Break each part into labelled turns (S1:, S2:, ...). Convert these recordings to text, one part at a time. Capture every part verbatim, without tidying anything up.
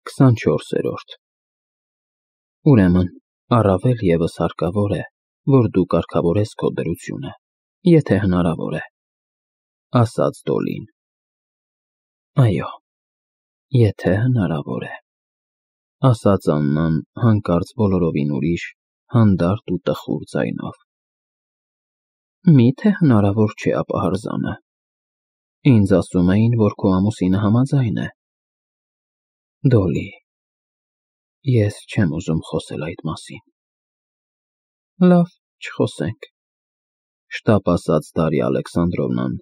S1: քսանչորսերորդ Ուրեմն, առավել ևս հարկավոր է, որ դու կարգավորես քո դրությունը, եթե հնարավոր է, ասաց Դոլին։ Այո, եթե հնարավոր է, ասաց Աննան հանկարծ բոլորովին ուրիշ, հանդարտ ու տխուր ձայնով։ Մի՞թե հնարավոր չէ ապահարզանը։ Ինձ ասում էին, որ քո ամուսինը համաձայն է։ Դոլի, ես չեմ ուզում խոսել այդ մասին։ Լավ, չխոսենք, շտապ ասաց Դարիա Ալեքսանդրովնան,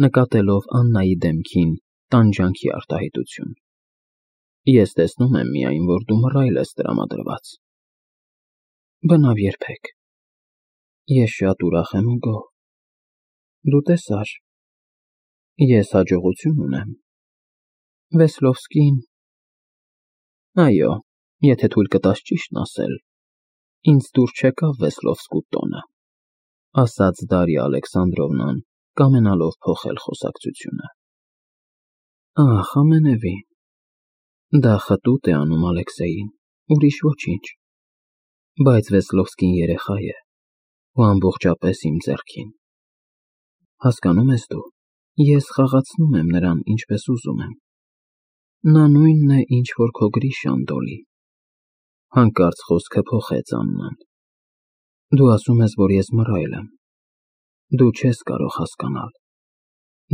S1: նկատելով Աննայի դեմքին տանջանքի արտահայտություն։ Ես տեսնում եմ միայն, որ դու մռայլ ես տրամադրված։ Բնավ երբեք։ Ես շատ ուրախ եմ ու գոհ։ Դու տեսար։ Ես հաջողություն ունեմ։ Վեսլովսկին… Այո, եթե թույլ կտաս ճիշտն ասել, ինձ դուր չեկավ Վեսլովսկու տոնը, ասաց Դարիա Ալեքսանդրովնան, կամենալով փոխել խոսակցությունը։ Ահ, ամենևին… Դա խտուտ է անում Ալեքսեյին, ուրիշ ոչինչ, բայց Վեսլովսկին երեխա է ու ամբողջապես իմ ձեռքին։ Հասկանո՞ւմ ես դու, ես խաղացնում եմ նրան ինչպես ուզում եմ։ Նա նույնն է, ինչ որ քո Գրիշան, Դոլի։ Հանկարծ խոսքը փոխեց Աննան։ Դու ասում ես, որ ես մռայլ եմ։ Դու չես կարող հասկանալ։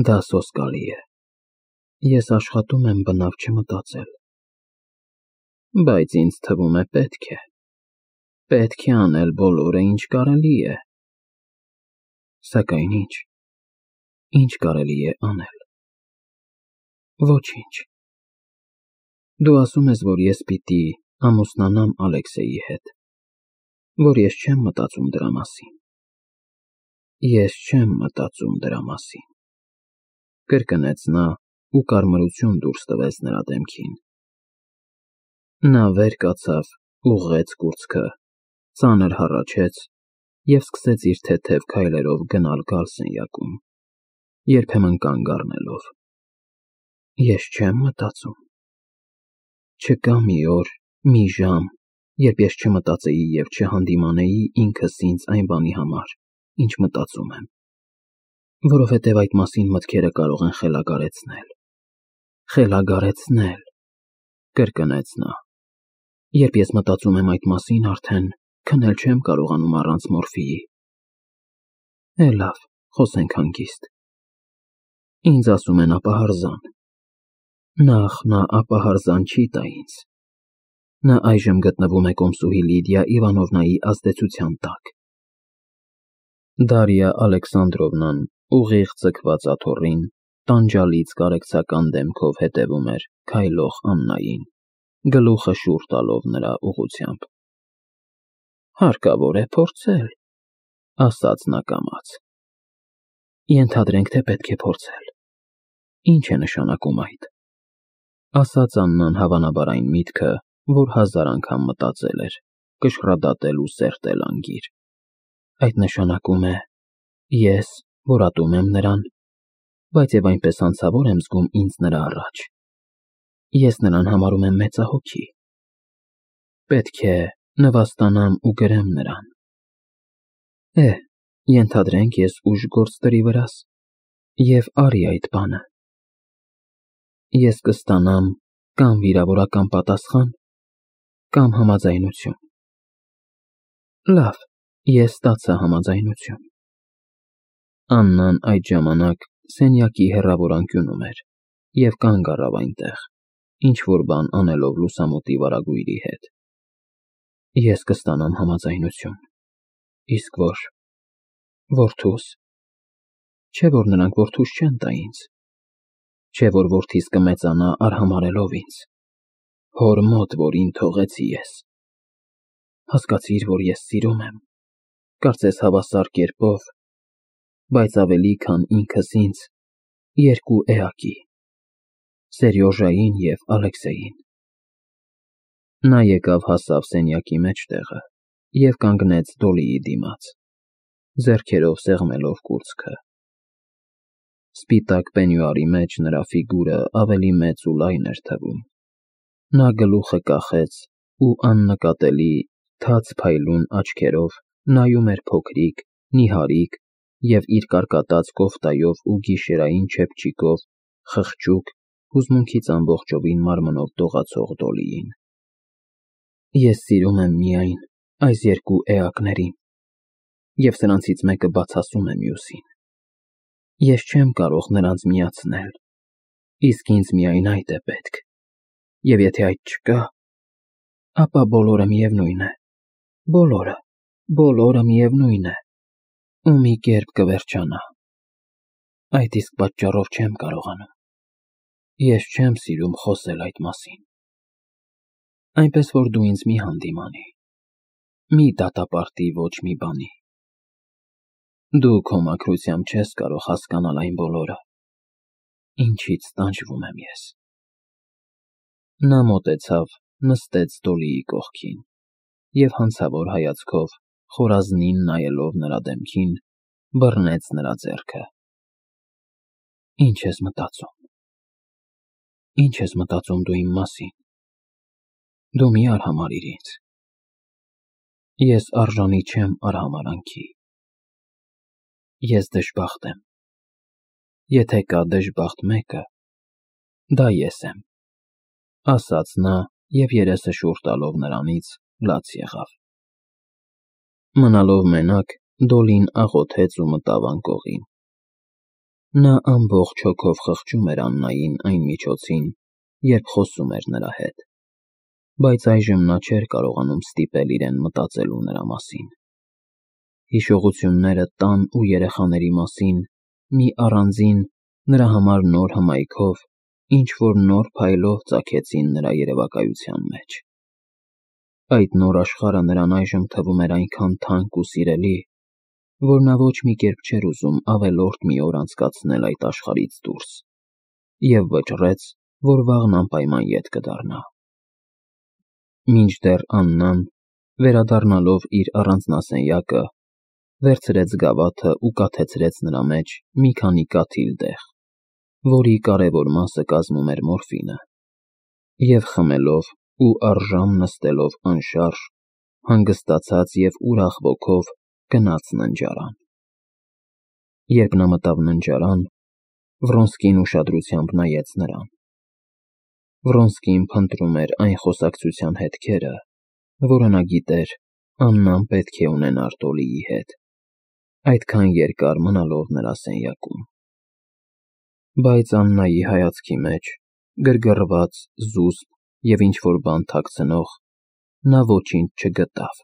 S1: Դա սոսկալի է։ Ես աշխատում եմ բնավ չմտածել։ Բայց ինձ թվում է պետք է։ Պետք է անել բոլորը, ինչ կարելի է։ Սակայն ի՞նչ։ Ի՞նչ կարելի է անել։ Ոչինչ։ Դու ասում ես, որ ես պիտի ամուսնանամ Ալեքսեյի հետ, որ ես չեմ մտածում դրա մասին։ Ես չեմ մտածում դրա մասին, կրկնեց նա ու կարմրություն դուրս տվեց նրա դեմքին։ Նա վեր կացավ, ուղղեց կուրծքը, ծանր հառաչեց և սկսեց իր թեթև քայլերով գնալ֊գալ սենյակում, երբեմն կանգ առնելով։ Ես չեմ մտածում։ Չկա մի օր, մի ժամ, երբ ես չմտածեի և չհանդիմանեի ինքս ինձ այն բանի համար, ինչ մտածում եմ, որովհետև այդ մասին մտքերը կարող են խելագարեցնել։ Խելագարեցնել, կրկնեց նա։ Երբ ես մտածում եմ այդ մասին, արդեն քնել չեմ կարողանում առանց մորֆիի։ Է լավ, խոսենք հանգիստ։ Ինձ ասում են ապահարզան։ Նախ, նա ապահարզան չի տա ինձ։ Նա այժմ գտնվում է կոմսուհի Լիդիա Իվանովնայի ազդեցության տակ։ Դարիա Ալեքսանդրովնան ուղիղ ձգված աթոռին, տանջալից կարեկցական դեմքով հետևում էր քայլող Աննային, գլուխը շուռ տալով նրա ուղղությամբ։ Հարկավոր է փորձել, ասաց նա կամաց։ Ենթադրենք, թե պետք է փորձել։ Ինչ է նշանակում այդ։ Ասաց Աննան հավանաբար այն միտքը, որ հազար անգամ մտածել էր, կշռադատել ու սերտել անգիր։ Այդ նշանակում է, ես, որ ատում եմ նրան, բայց և այնպես հանցավոր եմ զգում ինձ նրա առաջ։ Ես նրան համարում եմ մեծահոգի։ Պետք է նվաստանամ ու գրեմ նրան։ Է, ենթադրենք, ես ուժ գործ դրի վրաս, և արի այդ բանը։ Ես կստանամ կամ վիրավորական պատասխան, կամ համաձայնություն։ Լավ, ես ստացա համաձայնություն։ Աննան այդ ժամանակ սենյակի հեռավոր անկյունում էր և կանգ առավ այնտեղ, ինչ-որ բան անելով լուսամուտի վարագույրի հետ։ Ես կստանամ համաձայնություն։ Իսկ որ… որդուս… Չէ՞ որ նրանք որդուս չեն տա ինձ։ Չէ՞ որ որդիս կմեծանա արհամարհելով ինձ, հոր մոտ, որին թողեցի ես։ Հասկացիր, որ ես սիրում եմ, կարծես հավասար կերպով, բայց ավելի, քան ինքս ինձ, երկու էակի՝ Սերյոժային և Ալեքսեյին։ Նա եկավ հասավ սենյակի մեջտեղը և կանգնեց Դոլիի դիմաց, ձեռքերով սեղմելով կուրծքը։ Սպիտակ պենյուարի մեջ նրա ֆիգուրը ավելի մեծ ու լայն էր թվում։ Նա գլուխը կախեց ու աննկատելի, թաց փայլուն աչքերով նայում էր փոքրիկ, նիհարիկ և իր կարկատած կոֆտայով ու գիշերային չեփչիկով խղճուկ, հուզմունքից ամբողջովին մարմնով դողացող Դոլիին։ Ես սիրում եմ միայն այս երկու էակներին, և սրանցից մեկը բացասում է մյուսին։ Ես չեմ կարող նրանց միացնել, իսկ ինձ միայն այդ է պետք, և եթե այդ չկա, ապա բոլորը միևնույն է, բոլորը, բոլորը միևնույն է, ու մի կերպ կվերջանա։ Այդ իսկ պատճառով չեմ կարողանում։ Ես չեմ սիրում խոսել այդ մասին։ Այնպես որ դու ինձ մի հանդիմանի, մի դատապարտի ոչ մի բանի։ Դու քո մաքրությամբ չես կարող հասկանալ այն բոլորը, ինչից տանջվում եմ ես։ Նա մոտեցավ, նստեց Դոլիի կողքին և հանցավոր հայացքով, խորազնին նայելով նրա դեմքին, բռնեց նրա ձեռքը։ Ինչ ես մտածում։ Ինչ ես մտածում դու իմ մասին։ Դու մի արհամարհիր ինձ։ Ես արժանի չեմ արհամարհանքի։ Ես դժբախտ եմ։ Եթե կա դժբախտ մեկը, դա ես եմ, ասաց նա և երեսը շուռ տալով նրանից, լաց եղավ։ Մնալով մենակ, Դոլին աղոթեց ու մտավ անկողին։ Նա ամբողջ հոգով խղճում էր Աննային այն միջոցին, երբ խոսում էր նրա հետ, բայց այժմ նա չէր կարողանում ստիպել իրեն մտածելու նրա մասին։ Հիշողությունները տան ու երեխաների մասին մի առանձին, նրա համար նոր հմայքով, ինչ-որ նոր փայլով ծագեցին նրա երևակայության մեջ։ Այդ նոր աշխարհը նրան այժմ թվում էր այնքան թանկ ու սիրելի, որ նա ոչ մի կերպ չէր ուզում ավելորդ մի օր անցկացնել այդ աշխարհից դուրս, և վճռեց, որ վաղն անպայման ետ կդառնա։ Մինչդեռ Աննան, վերադառնալով իր առանձնասենյակը, վերցրեց գավաթը ու կաթեցրեց նրա մեջ մի քանի կաթիլ դեղ, որի կարևոր մասը կազմում էր մորֆինը, և խմելով ու առժամ նստելով անշարժ, հանգստացած և ուրախ ոգով գնաց ննջարան։ Երբ նա մտավ ննջարան, Վրոնսկին ուշադրությամբ նայեց նրան։ Վրոնսկին փնտրում էր այն խոսակցության հետքերը, որը նա գիտեր Աննան պետք է ունենար Դոլիի հետ, այդքան երկար մնալով նրա սենյակում։ Բայց Աննայի հայացքի մեջ, գրգռված, զուսպ և ինչ-որ բան թաքցնող, նա ոչինչ չգտավ,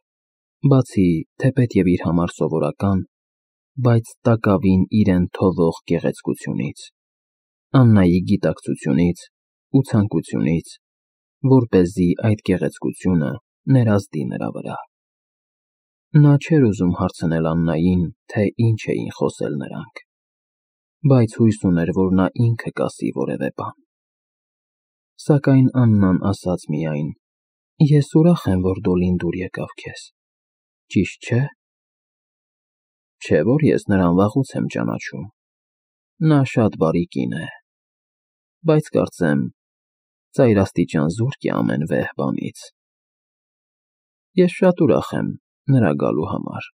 S1: բացի թեպետև իր համար սովորական, բայց տակավին իրեն թողող գեղեցկությունից, Աննայի գիտակցությունից ու ցանկությունից, որպեսզի այդ գեղեցկությունը ներազդի նրա վրա։ Նա չէր ուզում հարցնել Աննային, թե ինչ էին խոսել նրանք, բայց հույս ուներ, որ նա ինքը կասի որևէ բան։ Սակայն Աննան ասաց միայն. «Ես ուրախ եմ, որ Դոլին դուր եկավ քեզ, ճիշտ չէ՞։ Չէ՞ որ ես նրան վաղուց եմ ճանաչում։ Նա շատ բարի կին է, բայց կարծեմ ծայրաստիճան զուրկ է ամեն վեհ բանից։ Ես շատ ուրախ եմ նրա գալու համար»։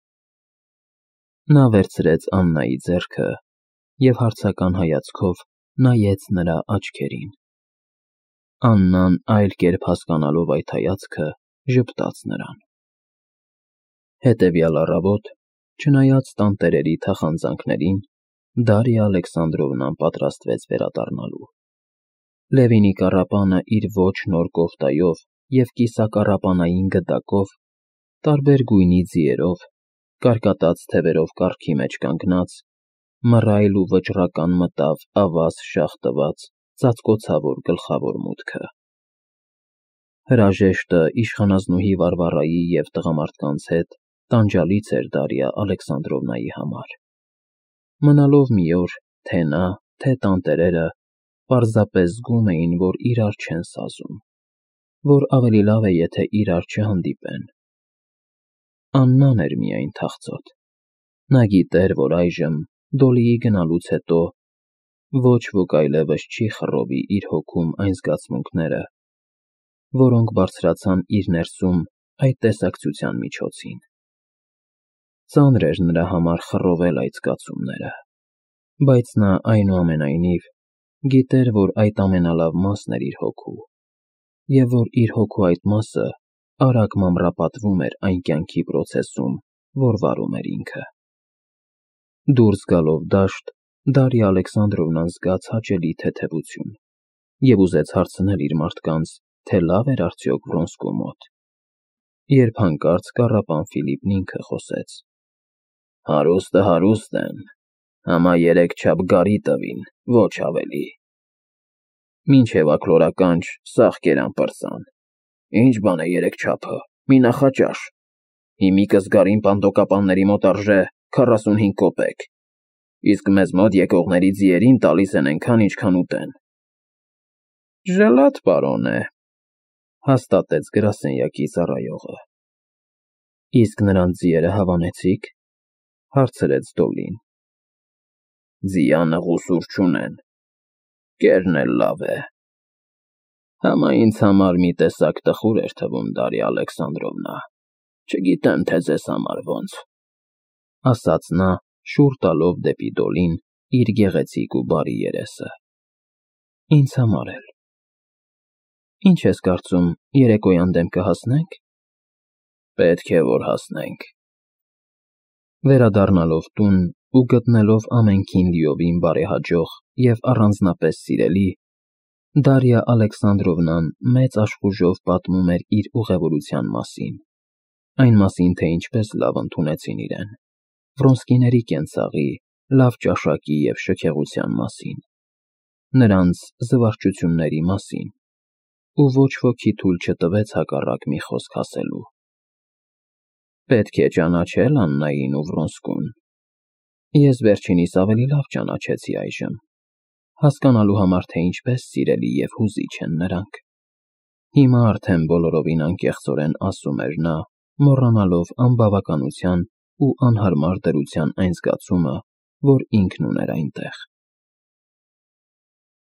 S1: Նա վերցրեց Աննայի ձեռքը և հարցական հայացքով նայեց նրա աչքերին։ Աննան այլ կերպ հասկանալով այդ հայացքը, ժպտաց նրան։ Հետևյալ առավոտ, չնայած տանտերերի թախանձանքներին, Դարիա Ալեքսանդրովնան պատրաստվեց վերադառնալու։ Լևինի կառապանը իր ոչ նոր կոֆտայով և կիսակառապանային գդակով, տարբեր գույնի ձիերով, կարկատած թևերով կառքի մեջ կանգնած, մռայլ ու վճռական մտավ ավազ շաղ տված ծածկոցավոր գլխավոր մուտքը։ Հրաժեշտը իշխանազնուհի Վարվարայի և տղամարդկանց հետ տանջալից էր Դարիա Ալեքսանդրովնայի համար։ Մնալով մի օր, թե նա, թե տանտերերը պարզապես զգում էին, որ իրար չեն սազում, որ ավելի լավ է, եթե իրար չհանդիպեն։ Աննան էր միայն թախծոտ։ Նա գիտեր, որ այժմ, Դոլիի գնալուց հետո, ոչ ոք այլևս չի խռովի իր հոգում այն զգացմունքները, որոնք բարձրացան իր ներսում այդ տեսակցության միջոցին։ Ծանր էր նրա համար խռովել այդ զգացումները, բայց նա այնուամենայնիվ գիտեր, որ այդ ամենալավ մասն էր իր հոգու, և որ իր հոգու այդ մասը արագ մանրապատվում էր այն կյանքի պրոցեսում, որ վարում էր ինքը։ Դուրս գալով դաշտ, Դարիա Ալեքսանդրովնան զգաց հաճելի թեթևություն և ուզեց հարցնել իր մարդկանց, թե լավ էր արդյոք Վրոնսկու մոտ, երբ հանկարծ կառապան Ֆիլիպն ինքը խոսեց. «Հարուստը հարուստ են, համա երեք չափ գարի տվին, ոչ ավելի։ Մինչև աքլորականջ սաղ կերան պրծան։ Ինչ բան է երեք չափը, մի նախաճաշ։ Հիմիկս գարին պանտոկապանների մոտ արժե քառասունհինգ կոպեկ, իսկ մեզ մոտ եկողների ձիերին տալիս են էնքան, ինչքան ուտեն»։ «Ժլատ պարոն է», հաստատեց գրասենյակի ծառայողը։ «Իսկ նրանց ձիերը հավանեցի՞ք», հարցրեց Դոլին։ «Ձիանը ղուսուր չունեն, կերն էլ լավ է։ Համա ինձ համար մի տեսակ տխուր էր թվում, Դարիա Ալեքսանդրովնա, չգիտեմ, թե ձեզ համար ոնց», ասաց նա, շուռ տալով դեպի Դոլին իր գեղեցիկ ու բարի երեսը։ «Ինձ համար էլ։ Ինչ ես կարծում, երեկոյան դեմ կհասնե՞նք»։ «Պետք է որ հասնենք»։ Վերադառնալով տուն ու գտնելով ամենքին լիովին բարեհաջող և առանձնապես սիրելի, Դարիա Ալեքսանդրովնան մեծ աշխուժով պատմում էր իր ուղևորության մասին, այն մասին, թե ինչպես լավ ընդունեցին իրեն, Վրոնսկիների կենցաղի, լավ ճաշակի և շքեղության մասին, նրանց զվարճությունների մասին, ու ոչ ոքի թույլ չտվեց հակառակ մի խոսք ասելու։ Պետք է ճանաչել Աննային ու Վրոնսկուն։ Ես վերջինիս ավելի լավ ճանաչեցի այժմ, հասկանալու համար, թե ինչպես սիրելի և հուզիչ են նրանք։ Հիմա արդեն բոլորովին անկեղծորեն ասում էր նա, մոռանալով անբավականության ու անհարմար դրության այն զգացումը, որ ինքն ուներ այնտեղ։